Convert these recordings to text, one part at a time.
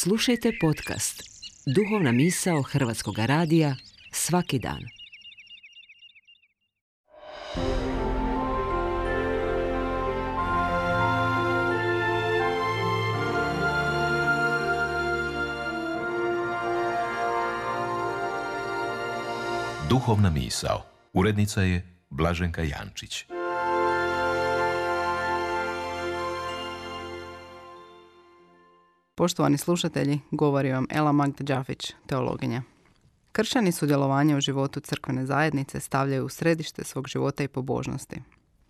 Slušajte podcast Duhovna misao Hrvatskog radija svaki dan. Duhovna misao. Urednica je Blaženka Jančić. Poštovani slušatelji, govori vam Ela Magda Đafić, teologinja. Kršćani sudjelovanje u životu crkvene zajednice stavljaju u središte svog života i pobožnosti.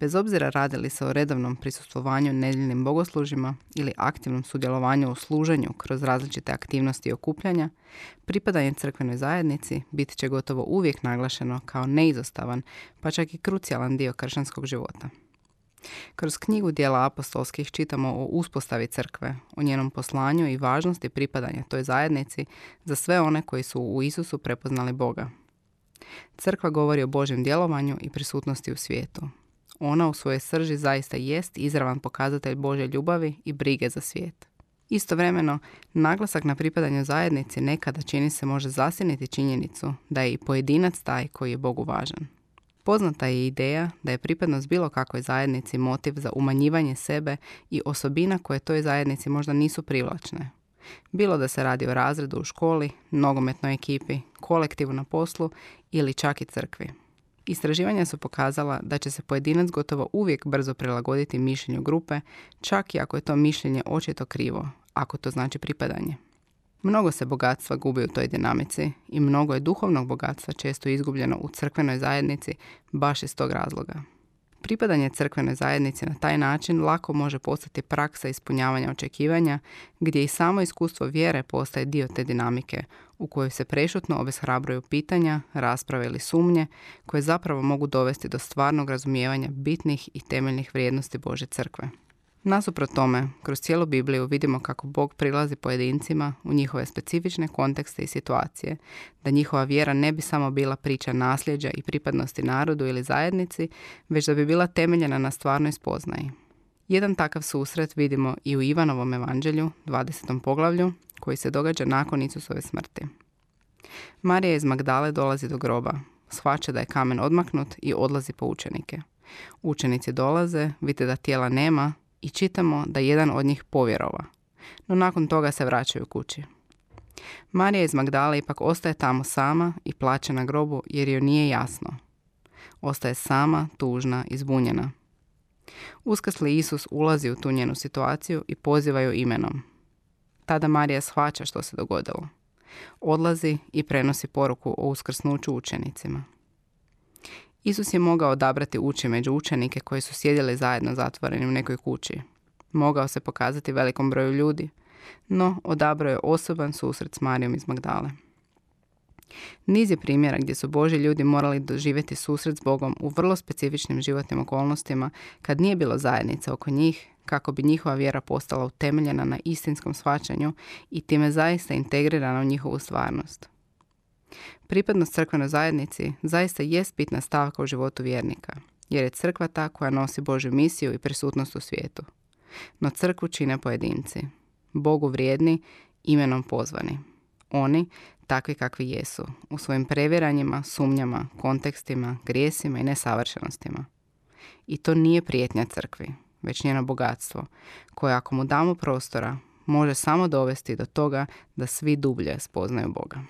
Bez obzira radi li se o redovnom prisustvovanju nedjeljnim bogoslužjima ili aktivnom sudjelovanju u služenju kroz različite aktivnosti i okupljanja, pripadanje crkvenoj zajednici bit će gotovo uvijek naglašeno kao neizostavan, pa čak i krucijalan dio kršćanskog života. Kroz knjigu Djela apostolskih čitamo o uspostavi crkve, o njenom poslanju i važnosti pripadanja toj zajednici za sve one koji su u Isusu prepoznali Boga. Crkva govori o Božjem djelovanju i prisutnosti u svijetu. Ona u svojoj srži zaista jest izravan pokazatelj Božje ljubavi i brige za svijet. Istovremeno, naglasak na pripadanju zajednici nekada čini se može zasjeniti činjenicu da je i pojedinac taj koji je Bogu važan. Poznata je ideja da je pripadnost bilo kakvoj zajednici motiv za umanjivanje sebe i osobina koje toj zajednici možda nisu privlačne. Bilo da se radi o razredu u školi, nogometnoj ekipi, kolektivu na poslu ili čak i crkvi. Istraživanja su pokazala da će se pojedinac gotovo uvijek brzo prilagoditi mišljenju grupe, čak i ako je to mišljenje očito krivo, ako to znači pripadanje. Mnogo se bogatstva gubi u toj dinamici i mnogo je duhovnog bogatstva često izgubljeno u crkvenoj zajednici baš iz tog razloga. Pripadanje crkvenoj zajednici na taj način lako može postati praksa ispunjavanja očekivanja, gdje i samo iskustvo vjere postaje dio te dinamike, u kojoj se prešutno obeshrabruju pitanja, rasprave ili sumnje, koje zapravo mogu dovesti do stvarnog razumijevanja bitnih i temeljnih vrijednosti Božje crkve. Nasuprot tome, kroz cijelu Bibliju vidimo kako Bog prilazi pojedincima u njihove specifične kontekste i situacije, da njihova vjera ne bi samo bila priča nasljeđa i pripadnosti narodu ili zajednici, već da bi bila temeljena na stvarnoj spoznaji. Jedan takav susret vidimo i u Ivanovom evanđelju, 20. poglavlju, koji se događa nakon Isusove smrti. Marija iz Magdale dolazi do groba, shvaća da je kamen odmaknut i odlazi po učenike. Učenici dolaze, vide da tijela nema, i čitamo da jedan od njih povjerova, no nakon toga se vraćaju kući. Marija iz Magdale ipak ostaje tamo sama i plače na grobu jer joj nije jasno. Ostaje sama, tužna i zbunjena. Uskrsli Isus ulazi u tu njenu situaciju i poziva ju imenom. Tada Marija shvaća što se dogodilo. Odlazi i prenosi poruku o uskrsnuću učenicima. Isus je mogao odabrati ući među učenike koji su sjedili zajedno zatvoreni u nekoj kući. Mogao se pokazati velikom broju ljudi, no odabrao je osoban susret s Marijom iz Magdale. Niz je primjera gdje su Božji ljudi morali doživjeti susret s Bogom u vrlo specifičnim životnim okolnostima kad nije bilo zajednice oko njih, kako bi njihova vjera postala utemeljena na istinskom shvaćanju i time zaista integrirana u njihovu stvarnost. Pripadnost crkvenoj zajednici zaista jest bitna stavka u životu vjernika, jer je crkva ta koja nosi Božju misiju i prisutnost u svijetu. No crkvu čine pojedinci, Bogu vrijedni, imenom pozvani. Oni, takvi kakvi jesu, u svojim prevjeranjima, sumnjama, kontekstima, grijesima i nesavršenostima. I to nije prijetnja crkvi, već njeno bogatstvo, koje ako mu damo prostora, može samo dovesti do toga da svi dublje spoznaju Boga.